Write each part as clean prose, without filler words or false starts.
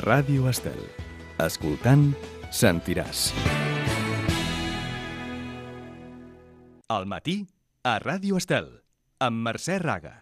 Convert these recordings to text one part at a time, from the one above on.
Ràdio Estel. Escoltant, sentiràs. Al matí, a Ràdio Estel, amb Mercè Raga.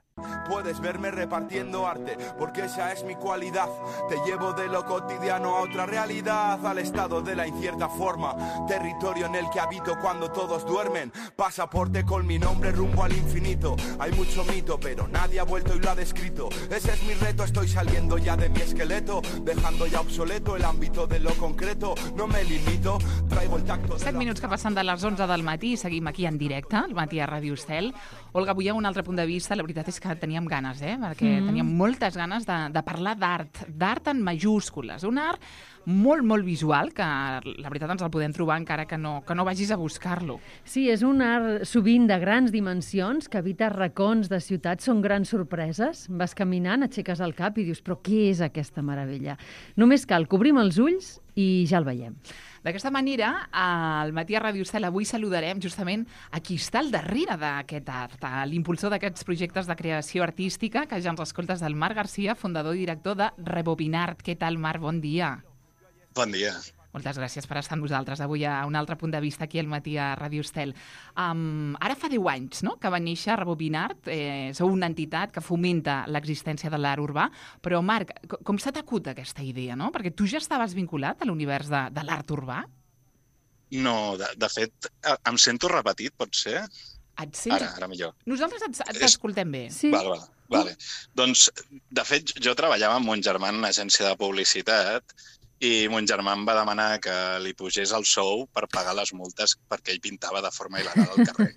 Puedes verme repartiendo arte, porque esa es mi cualidad. Te llevo de lo cotidiano a otra realidad, al estado de la incierta forma, territorio en el que habito cuando todos duermen. Pasaporte con mi nombre rumbo al infinito. Hay mucho mito, pero nadie ha vuelto y lo ha descrito. Ese es mi reto, estoy saliendo ya de mi esqueleto, dejando ya obsoleto el ámbito de lo concreto. No me limito, traigo el tacto... 7 minuts que passen de les 11 del matí i seguim aquí en directe, al matí a Ràdio Estel. Olga, avui hi ha un altre punt de vista. La veritat és que teníem ganes, perquè teníem moltes ganes de parlar d'art en majúscules. Un art molt, molt visual, que la veritat ens el podem trobar encara que no vagis a buscar-lo. Sí, és un art sovint de grans dimensions, que habita racons de ciutats, són grans sorpreses. Vas caminant, aixeques el cap i dius, però què és aquesta meravella? Només cal cobrim els ulls i ja el veiem. D'aquesta manera, al matí a Ràdio Estel avui saludarem justament a qui està al darrere d'aquest art, l'impulsor d'aquests projectes de creació artística, que ja ens escoltes, del Marc Garcia, fundador i director de Rebobinart. Què tal, Marc? Bon dia. Bon dia. Moltes gràcies per estar amb nosaltres avui a un altre punt de vista aquí al matí a Ràdio Estel. Ara fa 10 anys, no?, que va néixer Rebobinart. Sou una entitat que fomenta l'existència de l'art urbà. Però, Marc, com s'ha t'acut aquesta idea, no? Perquè tu ja estaves vinculat a l'univers de l'art urbà? No, de fet, em sento repetit, pot ser? Et sents... Ara millor. Nosaltres t'escoltem bé. Sí. Vale. Doncs, de fet, jo treballava amb mon germà en una agència de publicitat i mon germà em va demanar que li pugés el sou per pagar les multes perquè ell pintava de forma il·legal al carrer.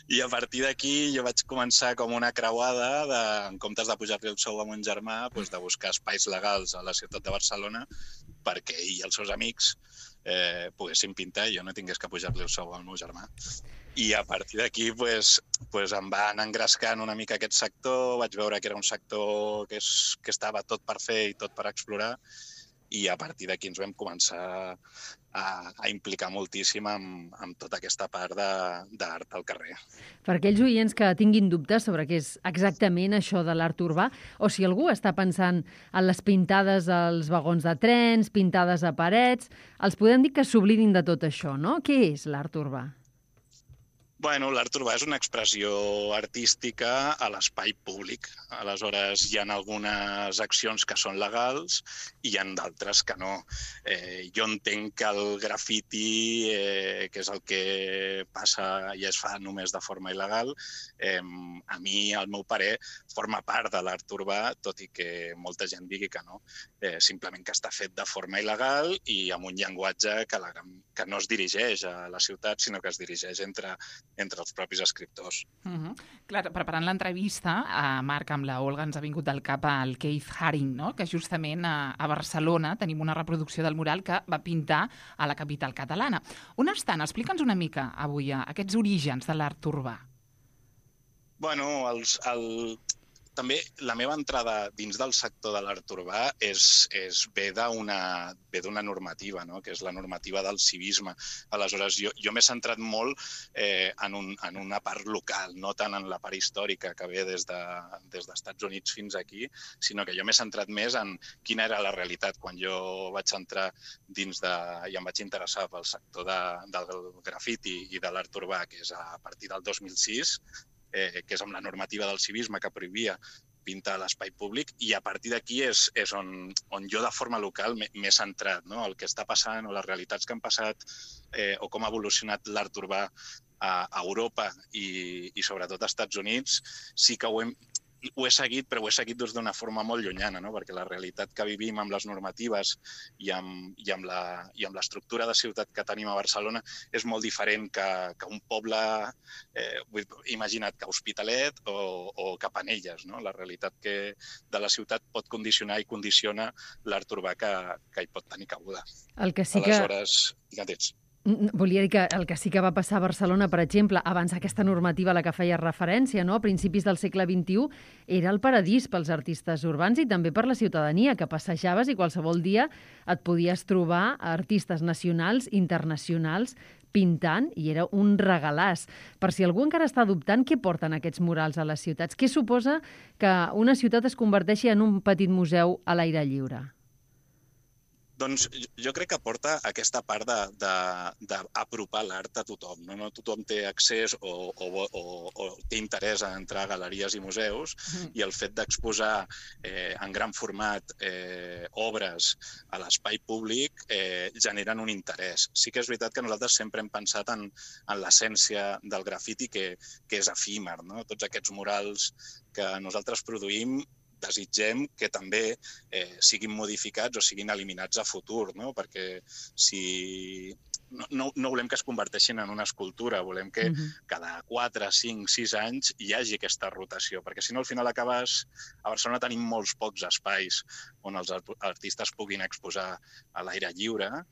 I a partir d'aquí jo vaig començar com una creuada en comptes de pujar-li el sou a mon germà, de buscar espais legals a la ciutat de Barcelona perquè ell i els seus amics poguessin pintar i jo no tingués que pujar-li el sou al meu germà. I a partir d'aquí em va anar engrescant una mica aquest sector, vaig veure que era un sector que estava tot per fer i tot per explorar, i a partir d'aquí ens vam començar a implicar moltíssim amb tota aquesta part d'art al carrer. Per aquells oients que tinguin dubtes sobre què és exactament això de l'art urbà, o si algú està pensant en les pintades als vagons de trens, pintades a parets, els podem dir que s'oblidin de tot això, no? Què és l'art urbà? Bueno, l'art urbà és una expressió artística a l'espai públic. Aleshores, hi ha algunes accions que són legals i hi ha d'altres que no. Jo entenc que el grafiti, que és el que passa i es fa només de forma il·legal, a mi, al meu parer, forma part de l'art urbà, tot i que molta gent digui que no. Simplement que està fet de forma il·legal i amb un llenguatge que no es dirigeix a la ciutat, sinó que es dirigeix entre els propis escriptors. Clar, preparant l'entrevista, Marc, amb la Olga ens ha vingut al cap el Keith Haring, no?, que justament a Barcelona tenim una reproducció del mural que va pintar a la capital catalana. On estan? Explica'ns una mica avui aquests orígens de l'art urbà. Bueno, també la meva entrada dins del sector de l'art urbà ve d'una normativa, no?, que és la normativa del civisme. Aleshores, jo m'he centrat molt en una part local, no tant en la part històrica que ve des dels Estats Units fins aquí, sinó que jo m'he centrat més en quina era la realitat quan jo vaig entrar dins i em vaig interessar pel sector del grafiti i de l'art urbà, que és a partir del 2006, que és amb la normativa del civisme que prohibia pintar a l'espai públic, i a partir d'aquí és on jo de forma local m'he centrat, no? El que està passant o les realitats que han passat o com ha evolucionat l'art urbà a Europa i sobretot als Estats Units, sí que ho he seguit, però ho he seguit d'una forma molt llunyana, no? Perquè la realitat que vivim amb les normatives i amb l'estructura de ciutat que tenim a Barcelona és molt diferent que un poble, imagina't, que Hospitalet o que Penelles, no? La realitat de la ciutat pot condicionar i condiciona l'art urbà que hi pot tenir cabuda. El que sí que... Aleshores, digue'ns. Volia dir que el que sí que va passar a Barcelona, per exemple, abans d'aquesta normativa a la que feia referència, no? A principis del segle XXI, era el paradís pels artistes urbans i també per la ciutadania, que passejaves i qualsevol dia et podies trobar artistes nacionals, internacionals, pintant, i era un regalàs. Per si algú encara està dubtant, què porten aquests murals a les ciutats? Què suposa que una ciutat es converteixi en un petit museu a l'aire lliure? Doncs jo crec que porta aquesta part d'apropar l'art a tothom. No tothom té accés o té interès en entrar a galeries i museus, i el fet d'exposar en gran format obres a l'espai públic generen un interès. Sí que és veritat que nosaltres sempre hem pensat en l'essència del grafiti, que és efímer, no? Tots aquests murals que nosaltres produïm desitgem que també siguin modificats o siguin eliminats a futur, no? Perquè no volem que es converteixin en una escultura, volem que cada 4, 5, 6 anys hi hagi aquesta rotació, perquè si no al final acabes... A Barcelona tenim molts pocs espais on els artistes puguin exposar a l'aire lliure,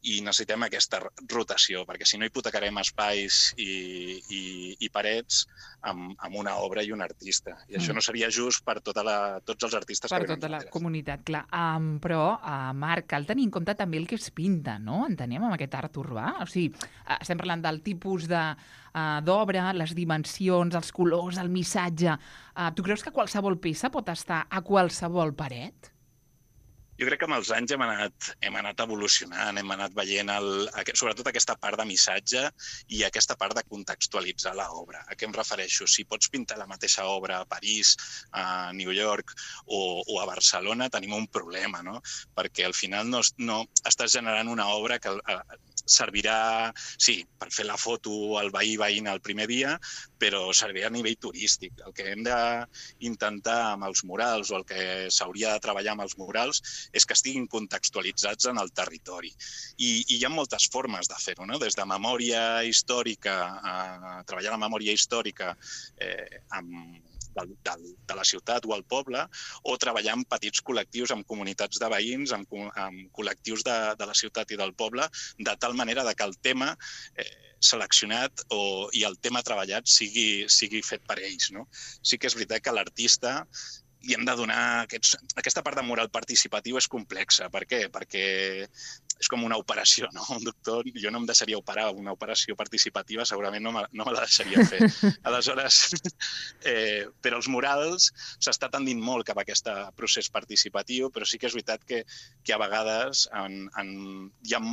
i necessitem aquesta rotació, perquè si no hipotecarem espais i parets amb una obra i un artista. I això no seria just per tots els artistes que venen. Per tota la comunitat, clar. Però, Marc, cal tenir en compte també el que es pinta, no? Entenem, amb aquest art urbà? O sigui, estem parlant del tipus d'obra, les dimensions, els colors, el missatge. Tu creus que qualsevol peça pot estar a qualsevol paret? Jo crec que amb els anys hem anat evolucionant, hem anat veient sobretot aquesta part de missatge i aquesta part de contextualitzar l'obra. A què em refereixo? Si pots pintar la mateixa obra a París, a New York o a Barcelona, tenim un problema, no? Perquè al final no estàs generant una obra que servirà, sí, per fer la foto al veïna el primer dia, però servirà a nivell turístic. El que hem d'intentar amb els murals o el que s'hauria de treballar amb els murals és que estiguin contextualitzats en el territori. I hi ha moltes formes de fer-ho, no? Des de memòria històrica, treballar la memòria històrica de la ciutat o el poble, o treballar amb petits col·lectius, amb comunitats de veïns, amb col·lectius de la ciutat i del poble, de tal manera que el tema seleccionat i el tema treballat sigui fet per ells, no? Sí que és veritat que l'artista li hem de donar... Aquesta part de mural participatiu és complexa. Per què? Perquè és com una operació, no? Un doctor, jo no em deixaria operar una operació participativa, segurament no me la deixaria fer. Aleshores, però els murals s'està tendint molt cap a aquest procés participatiu, però sí que és veritat que a vegades hi ha...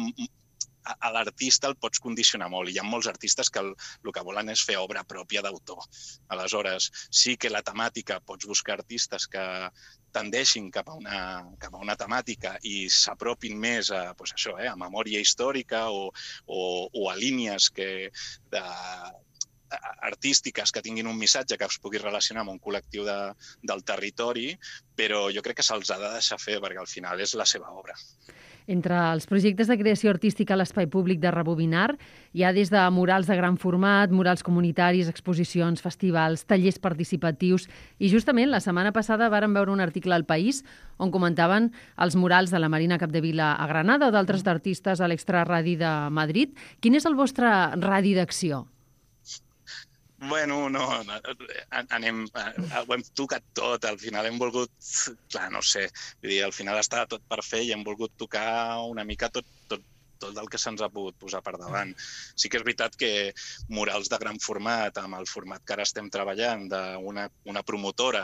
A l'artista el pots condicionar molt, i hi ha molts artistes que el que volen és fer obra pròpia d'autor. Aleshores, sí que la temàtica, pots buscar artistes que tendeixin cap a una temàtica i s'apropin més a memòria històrica o a línies artístiques que tinguin un missatge que es pugui relacionar amb un col·lectiu del territori, però jo crec que se'ls ha de deixar fer, perquè al final és la seva obra. Entre els projectes de creació artística a l'espai públic de Rebobinar hi ha des de murals de gran format, murals comunitaris, exposicions, festivals, tallers participatius, i justament la setmana passada vàrem veure un article al País on comentaven els murals de la Marina Capdevila a Granada o d'altres artistes a l'Extraradi de Madrid. Quin és el vostre radi d'acció? Bueno, no, ho hem tocat tot, al final hem volgut, clar, no sé, vull dir, al final estava tot per fer i hem volgut tocar una mica tot el que se'ns ha pogut posar per davant. Sí que és veritat que murals de gran format, amb el format que ara estem treballant, d'una promotora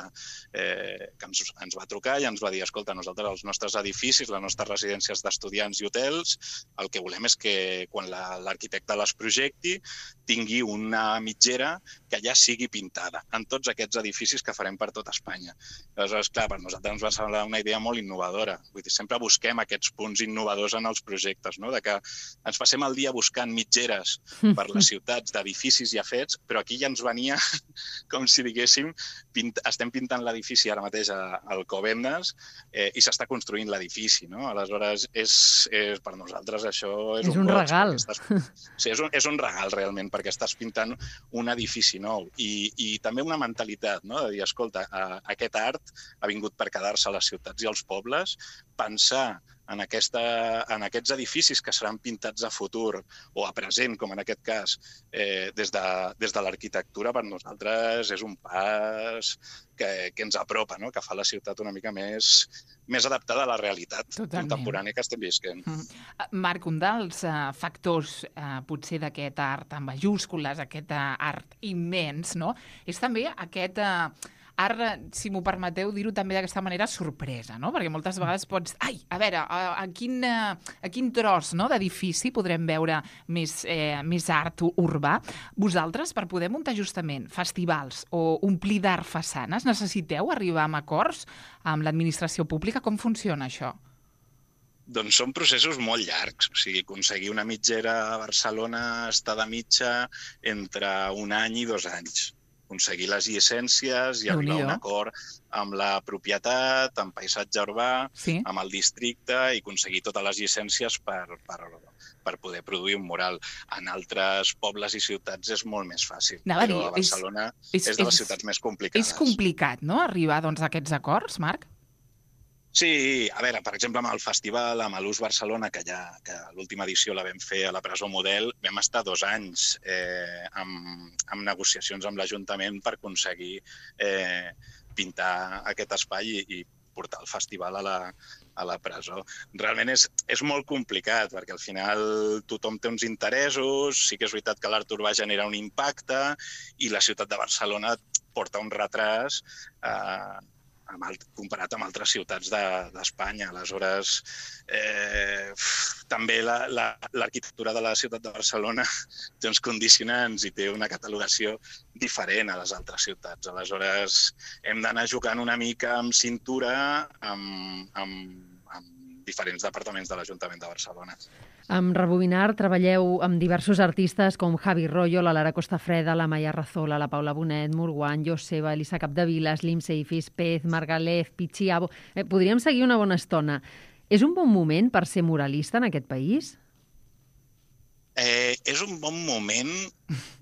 que ens va trucar i ens va dir, escolta, nosaltres els nostres edificis, les nostres residències d'estudiants i hotels, el que volem és que quan l'arquitecte les projecti tingui una mitgera que ja sigui pintada en tots aquests edificis que farem per tot Espanya. Aleshores, clar, per nosaltres ens va semblar una idea molt innovadora. Vull dir, sempre busquem aquests punts innovadors en els projectes, no? Que ens passem el dia buscant mitgeres per les ciutats d'edificis ja fets, però aquí ja ens venia com si diguéssim, estem pintant l'edifici ara mateix a Alcobendas i s'està construint l'edifici, no? Aleshores, per nosaltres això és un regal. Sí, és un regal realment, perquè estàs pintant un edifici nou i també una mentalitat, no? De dir, escolta, aquest art ha vingut per quedar-se a les ciutats i als pobles, pensar en aquests edificis que seran pintats a futur o a present, com en aquest cas, des de l'arquitectura, per nosaltres és un pas que ens apropa, no? Que fa la ciutat una mica més adaptada a la realitat contemporània que estem visquent. Marc, un dels factors potser d'aquest art en majúscules, aquest art immens, no? És també aquest art, si m'ho permeteu dir-ho també d'aquesta manera, sorpresa, no? Perquè moltes vegades pots... Ai, a veure, a quin tros, no, d'edifici podrem veure més art urbà? Vosaltres, per poder muntar justament festivals o omplir d'art façanes, necessiteu arribar a acords amb l'administració pública? Com funciona això? Doncs són processos molt llargs. O sigui, aconseguir una mitgera a Barcelona està de mitja entre 1 any i 2 anys. Aconseguir les llicències i arribar a un acord amb la propietat, amb paisatge urbà, amb el districte i aconseguir totes les llicències per poder produir un mural. En altres pobles i ciutats és molt més fàcil, però a Barcelona és de les ciutats més complicades. És complicat, no?, arribar a aquests acords, Marc? Sí, a veure, per exemple, amb el festival, amb l'Ús Barcelona, que l'última edició la vam fer a la Presó Model, vam estar 2 anys amb negociacions amb l'Ajuntament per aconseguir pintar aquest espai i portar el festival a la presó. Realment és molt complicat, perquè al final tothom té uns interessos, sí que és veritat que l'art urbà genera un impacte i la ciutat de Barcelona porta un retras comparat amb altres ciutats d'Espanya. Aleshores, també l'arquitectura de la ciutat de Barcelona té uns condicionants i té una catalogació diferent a les altres ciutats. Aleshores, hem d'anar jugant una mica amb cintura amb diferents departaments de l'Ajuntament de Barcelona. Amb Rebobinar treballeu amb diversos artistes com Javi Rollo, la Lara Costafreda, la Maia Razola, la Paula Bonet, Murguán, Joseba, Elisa Capdevila, Slim Seifis, Pez, Margalef, Pichiabo... Podríem seguir una bona estona. És un bon moment per ser muralista en aquest país? És un bon moment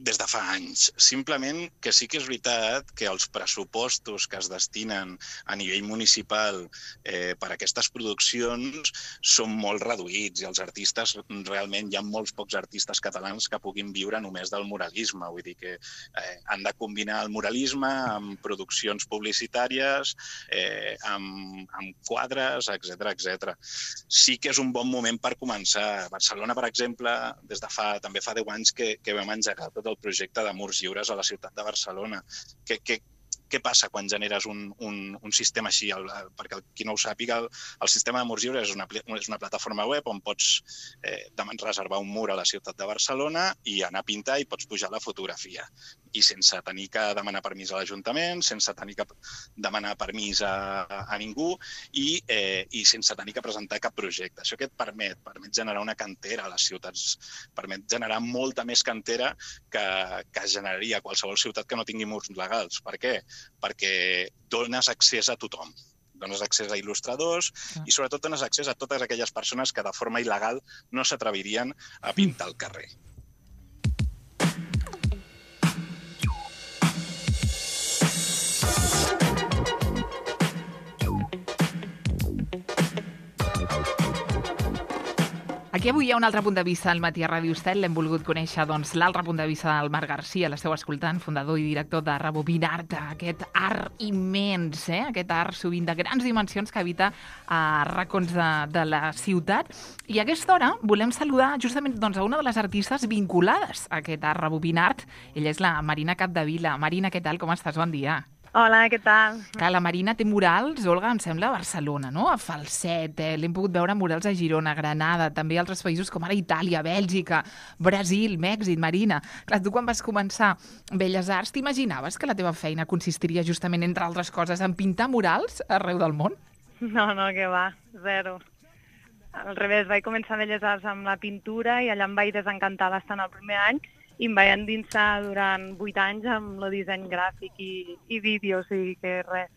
des de fa anys. Simplement que sí que és veritat que els pressupostos que es destinen a nivell municipal per a aquestes produccions són molt reduïts i els artistes, realment hi ha molts pocs artistes catalans que puguin viure només del muralisme. Vull dir que han de combinar el muralisme amb produccions publicitàries, amb quadres, etc. Sí que és un bon moment per començar. Barcelona, per exemple, també fa 10 anys que vam engegar tot el projecte de murs lliures a la ciutat de Barcelona. Què passa quan generes un sistema així? Perquè qui no ho sàpiga, el sistema de murs lliures és una plataforma web on pots reservar un mur a la ciutat de Barcelona i anar a pintar i pots pujar la fotografia. I sense tenir que demanar permís a l'Ajuntament, sense tenir que demanar permís a ningú i sense tenir que presentar cap projecte. Això què et permet? Permet generar una cantera a les ciutats, permet generar molta més cantera que generaria qualsevol ciutat que no tingui murs legals. Per què? Perquè dones accés a tothom. Dones accés a il·lustradors i sobretot dones accés a totes aquelles persones que de forma il·legal no s'atrevirien a pintar al carrer. Aquí avui hi ha un altre punt de vista al matí a Ràdio Estel. L'hem volgut conèixer, l'altre punt de vista del Marc Garcia. L'esteu escoltant, fundador i director de Rebobinar, aquest art immens, aquest art sovint de grans dimensions que habita a racons de la ciutat. I a aquesta hora volem saludar justament a una de les artistes vinculades a aquest art Rebobinar. Ella és la Marina Capdevila. Marina, què tal? Com estàs? Bon dia. Hola, què tal? Clar, la Marina té murals, Olga, em sembla, a Barcelona, no? A Falset, l'hem pogut veure murals a Girona, Granada, també a altres països com ara Itàlia, Bèlgica, Brasil, Mèxic, Marina. Clar, tu quan vas començar Belles Arts, t'imaginaves que la teva feina consistiria justament, entre altres coses, en pintar murals arreu del món? No, que va, zero. Al revés, vaig començar Belles Arts amb la pintura i allà em vaig desencantar bastant el primer any i em vaig endinsar durant 8 anys amb el disseny gràfic i vídeo, o sigui que res.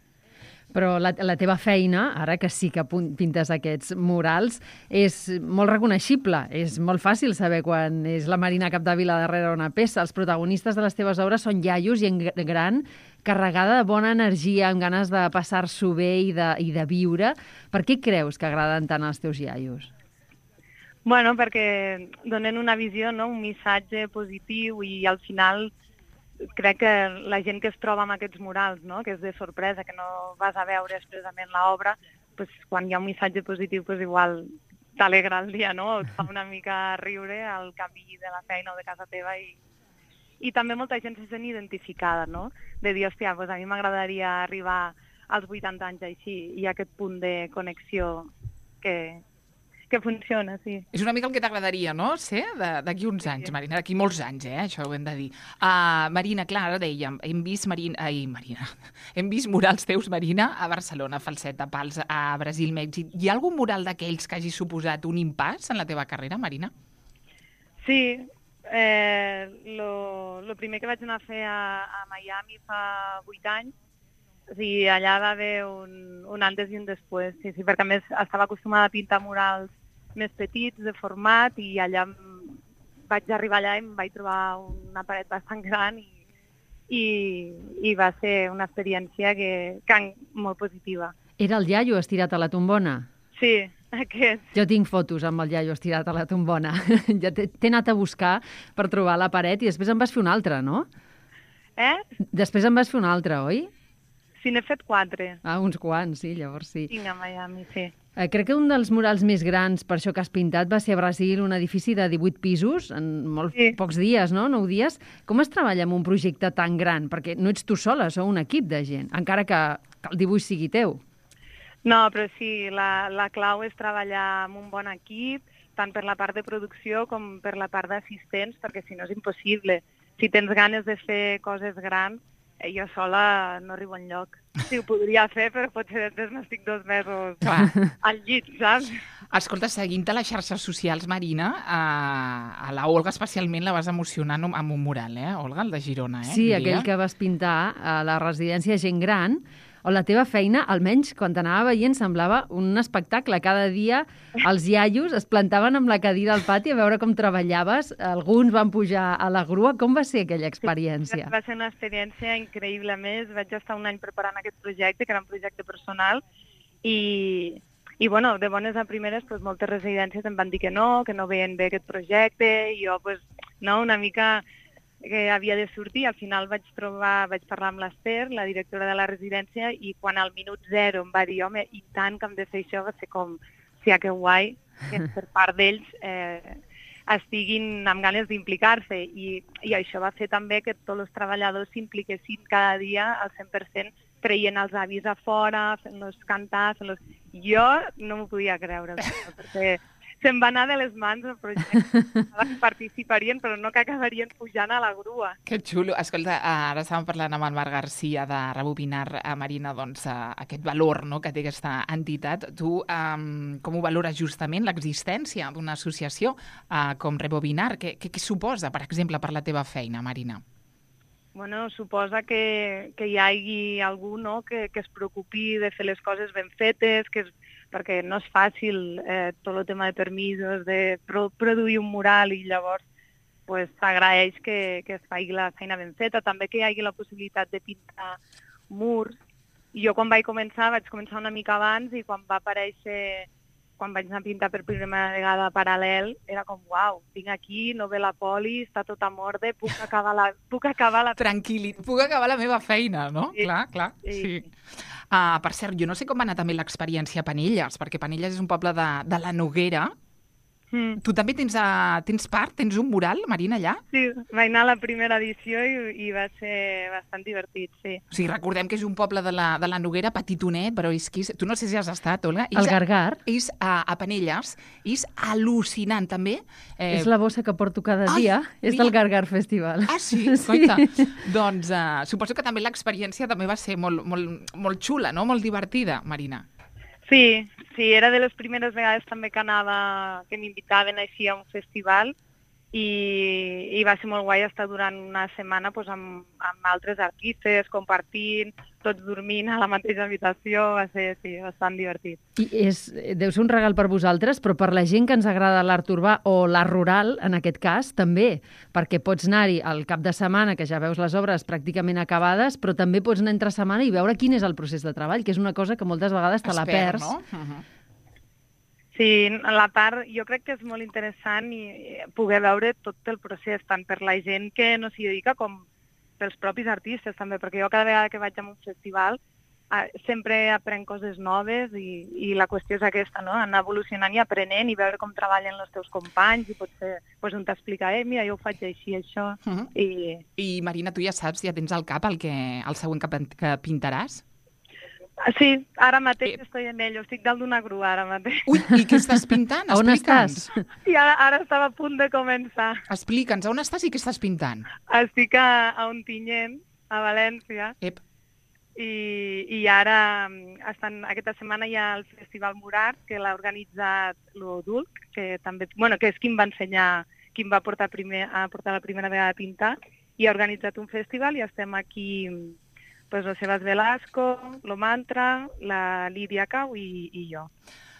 Però la teva feina, ara que sí que pintes aquests murals, és molt reconeixible. És molt fàcil saber quan és la Marina Capdevila darrere una peça. Els protagonistes de les teves obres són iaios i en gran carregada de bona energia, amb ganes de passar-s'ho bé i de viure. Per què creus que agraden tant els teus iaios? Bueno, perquè donen una visió, no? Un missatge positiu i al final crec que la gent que es troba amb aquests murals, no? Que és de sorpresa, que no vas a veure expressament l'obra, pues, quan hi ha un missatge positiu, pues, igual t'alegra el dia, no? Et fa una mica riure al camí de la feina o de casa teva i també molta gent se sent identificada, no? De dir, hòstia, pues a mi m'agradaria arribar als 80 anys així i aquest punt de connexió que funciona, sí. És una mica el que t'agradaria, no?, ser d'aquí uns anys, Marina, d'aquí molts anys, això ho hem de dir. Marina, clar, ara dèiem, hem vist murals teus, Marina, a Barcelona, Falset, a Pals, a Brasil, Mèxic. Hi ha algun mural d'aquells que hagi suposat un impàs en la teva carrera, Marina? Sí, lo primer que vaig anar a fer a Miami fa 8 anys, o sigui, allà va haver un antes i un després, sí, perquè a més estava acostumada a pintar murals més petits, de format, i allà vaig arribar allà i em vaig trobar una paret bastant gran i va ser una experiència molt positiva. Era el iaio estirat a la tombona? Sí, aquest. Jo tinc fotos amb el iaio estirat a la tombona. Ja t'he anat a buscar per trobar la paret i després en vas fer una altra, no? Després en vas fer una altra, oi? Sí, n'he fet 4. Uns quants, sí, llavors sí. Tinc a Miami, sí. Crec que un dels murals més grans per això que has pintat va ser a Brasil, un edifici de 18 pisos en pocs dies, no? 9 dies. Com es treballa amb un projecte tan gran? Perquè no ets tu sola, sou un equip de gent, encara que el dibuix sigui teu. No, però sí, la clau és treballar amb un bon equip, tant per la part de producció com per la part d'assistents, perquè si no és impossible. Si tens ganes de fer coses grans, jo sola no arribo enlloc. Sí, ho podria fer, però potser després m'estic 2 mesos al llit, saps? Escolta, seguint-te a les xarxes socials, Marina, a la Olga especialment la vas emocionar amb un mural, Olga, el de Girona, Sí, diria. Aquell que vas pintar a la residència Gent Gran, on la teva feina, almenys quan t'anava veient, semblava un espectacle. Cada dia els iaios es plantaven amb la cadira al pati a veure com treballaves. Alguns van pujar a la grua. Com va ser aquella experiència? Va ser una experiència increïble. A més, vaig estar un any preparant aquest projecte, que era un projecte personal, i bueno, de bones a primeres, doncs, moltes residències em van dir que no veien bé aquest projecte, i jo, una mica que havia de sortir. Al final vaig parlar amb l'Ester, la directora de la residència, i quan al minut 0 em va dir, home, i tant que hem de fer això, va ser com, que guai, que per part d'ells estiguin amb ganes d'implicar-se, i això va fer també que tots els treballadors s'impliquessin cada dia al 100%, traient els avis a fora, fent-los cantar, Jo no m'ho podia creure, perquè se'm va anar de les mans el projecte. Que participarien, però no que acabarien pujant a la grua. Que xulo. Escolta, ara estàvem parlant amb el Marc Garcia de Rebobinar, Marina, doncs, aquest valor, no?, que té aquesta entitat. Tu com ho valores justament l'existència d'una associació com Rebobinar? Què suposa, per exemple, per la teva feina, Marina? Bueno, suposa que hi hagi algú, no?, que es preocupi de fer les coses ben fetes, perquè no és fàcil tot el tema de permisos, de produir un mural, i llavors s'agraeix que es faci la feina ben feta. També que hi hagi la possibilitat de pintar murs. Jo quan vaig començar una mica abans, i quan vaig anar a pintar per primera vegada Paral·lel, era com, uau, vinc aquí, no ve la poli, està tot en ordre, puc acabar la... Tranquil·li, puc acabar la meva feina, no? Sí. Clar, sí. Per cert, jo no sé com va anar també l'experiència a Penelles, perquè Penelles és un poble de la Noguera. Tu també tens part? Tens un mural, Marina, allà? Sí, vaig anar a la primera edició i va ser bastant divertit, sí. O sigui, recordem que és un poble de la Noguera, petitonet, però és que tu no sé si has estat, Olga. El Gargar. És a Penelles. És al·lucinant, també. És la bossa que porto cada dia. És del Gargar Festival. Ah, sí? Coita. Doncs suposo que també l'experiència també va ser molt xula, no? Molt divertida, Marina. Sí, era de les primeres vegades també que m'invitaven així a un festival, i va ser molt guai estar durant una setmana doncs, amb altres artistes, compartint, tots dormint a la mateixa habitació, va ser bastant divertit. I deu ser un regal per vosaltres, però per la gent que ens agrada l'art urbà o l'art rural, en aquest cas, també, perquè pots anar-hi al cap de setmana, que ja veus les obres pràcticament acabades, però també pots anar entre setmana i veure quin és el procés de treball, que és una cosa que moltes vegades te la perds. No? Sí, la part, jo crec que és molt interessant i poder veure tot el procés, tant per la gent que no s'hi dedica com pels propis artistes també, perquè jo cada vegada que vaig a un festival sempre aprenc coses noves i la qüestió és aquesta, no? Anar evolucionant i aprenent i veure com treballen els teus companys i potser un t'explica, mira, jo ho faig així, això. I Marina, tu ja saps, ja tens al cap el següent que pintaràs? Sí, ara mateix estic en ello, estic dalt d'una grua ara mateix. Ui, i què estàs pintant? On estàs? I ara estava a punt de començar. Explica'ns, on estàs i què estàs pintant? Estic a Ontinyent, a València. Ep. I ara, aquesta setmana hi ha el Festival Murat, que l'ha organitzat l'Odulc, que també, que és qui em va ensenyar, qui em va portar a portar la primera vegada a pintar, i ha organitzat un festival i estem aquí... Pues el Sebas Velasco, lo Mantra, la Lídia Cau i jo.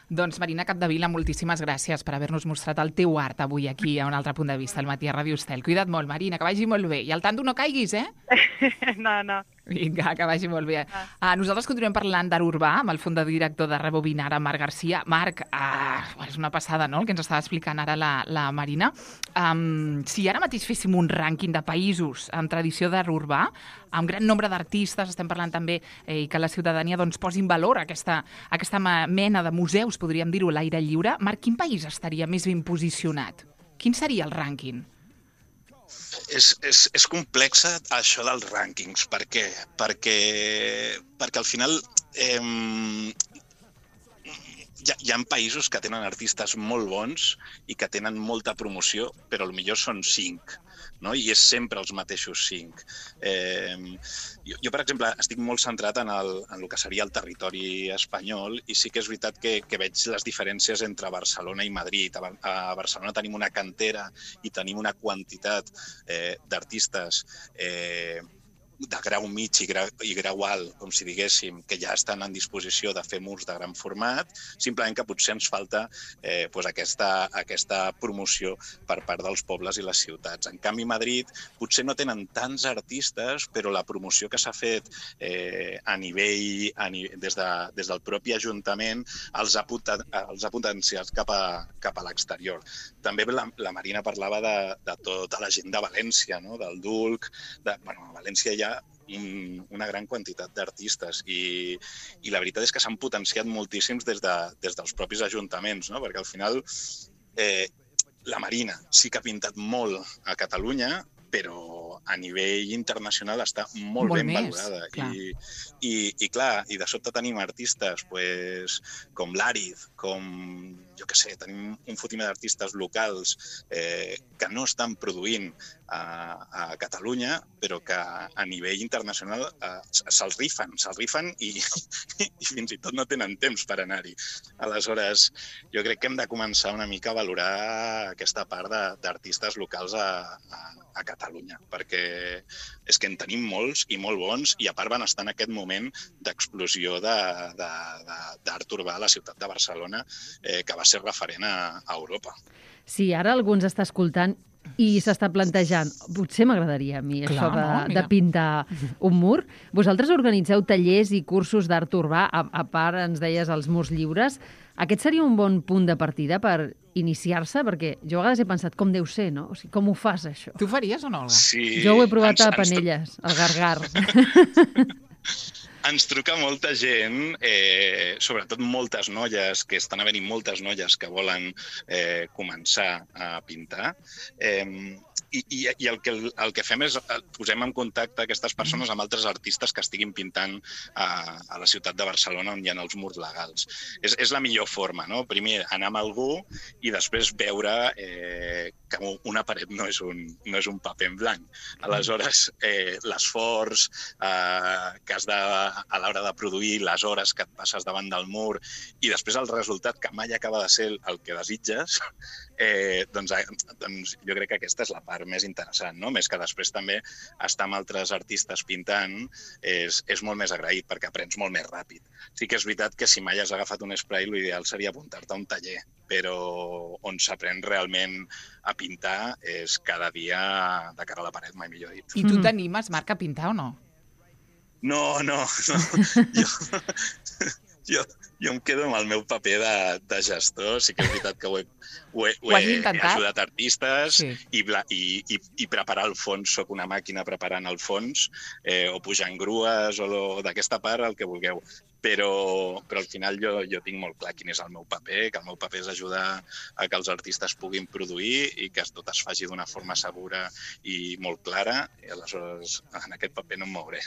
Doncs Marina Capdevila, moltíssimes gràcies per haver-nos mostrat el teu art avui aquí a un altre punt de vista, al matí a Ràdio Estel. Cuida't molt, Marina, que vagi molt bé. I al tanto no caiguis, No. Vinga, que vagi molt bé. Nosaltres continuem parlant d'art urbà amb el fundador de Rebobinar, Marc Garcia. Marc, és una passada, no?, el que ens estava explicant ara la Marina. Si ara mateix féssim un rànquing de països amb tradició d'art urbà, amb gran nombre d'artistes, estem parlant també que la ciutadania posi en valor aquesta mena de museus, podríem dir-ho, a l'aire lliure. Marc, quin país estaria més ben posicionat? Quin seria el rànquing? És complex això dels rànquings. Per què? Perquè al final hi ha països que tenen artistes molt bons i que tenen molta promoció, però potser són 5. No? I és sempre els mateixos 5. Jo, per exemple, estic molt centrat en el que seria el territori espanyol i sí que és veritat que veig les diferències entre Barcelona i Madrid. A Barcelona tenim una cantera i tenim una quantitat d'artistes de grau mig i grau alt, com si diguéssim, que ja estan en disposició de fer murs de gran format, simplement que potser ens falta aquesta promoció per part dels pobles i les ciutats. En canvi, Madrid potser no tenen tants artistes, però la promoció que s'ha fet a nivell, des del propi Ajuntament, els ha potenciat cap a l'exterior. També la Marina parlava de tota la gent de València, no? Del Dulc. A València hi ha una gran quantitat d'artistes i la veritat és que s'han potenciat moltíssims des dels propis ajuntaments, no? Perquè al final la Marina sí que ha pintat molt a Catalunya, però a nivell internacional està molt ben valorada. I clar, i de sobte tenim artistes com l'Àrid, com, jo què sé, tenim un fotimer d'artistes locals que no estan produint a Catalunya, però que a nivell internacional se'ls rifen i fins i tot no tenen temps per anar-hi. Aleshores, jo crec que hem de començar una mica a valorar aquesta part d'artistes locals a Catalunya, perquè és que en tenim molts i molt bons i a part van estar en aquest moment d'explosió d'art urbà a la ciutat de Barcelona, que va ser referent a Europa. Si ara algú ens està escoltant i s'està plantejant, potser m'agradaria a mi això de pintar un mur. Vosaltres organitzeu tallers i cursos d'art urbà, a part ens deies els murs lliures. Aquest seria un bon punt de partida per iniciar-se? Perquè jo a vegades he pensat com deu ser, no? O sigui, com ho fas, això? Tu ho faries o no, Olga? Sí, jo ho he provat a Penelles, al Gargar. Ens truca molta gent, sobretot moltes noies, que estan havent-hi moltes noies que volen començar a pintar. I el que fem és posem en contacte aquestes persones amb altres artistes que estiguin pintant a la ciutat de Barcelona on hi ha els murs legals. És la millor forma, no? Primer anar amb algú i després veure que una paret no és un paper en blanc. Aleshores, l'esforç que has de a l'hora de produir, les hores que et passes davant del mur i després el resultat que mai acaba de ser el que desitges, doncs jo crec que aquesta és la part més interessant, no? Més que després també estar amb altres artistes pintant és molt més agraït perquè aprens molt més ràpid. Sí que és veritat que si mai has agafat un spray l'ideal seria apuntar-te a un taller, però on s'aprèn realment a pintar és cada dia de cara a la paret, mai millor dit. I tu t'animes, Marc, a pintar o no? No. Jo em quedo amb el meu paper de gestor. Sí que és veritat que ho he ajudat artistes i preparar el fons. Soc una màquina preparant el fons o pujant grues o d'aquesta part, el que vulgueu. Però al final jo tinc molt clar quin és el meu paper, que el meu paper és ajudar a que els artistes puguin produir i que tot es faci d'una forma segura i molt clara, i aleshores en aquest paper no em mouré.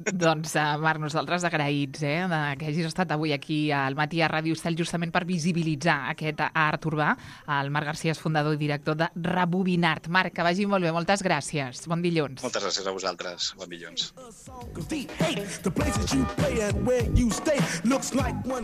Doncs, Marc, nosaltres agraïts que hagis estat avui aquí al Matí a Ràdio Estel justament per visibilitzar aquest art urbà. El Marc Garcia és fundador i director de Rebobinart. Marc, que vagi molt bé. Moltes gràcies. Bon dilluns. Moltes gràcies a vosaltres. Bon dilluns. The places you play and where you stay looks like one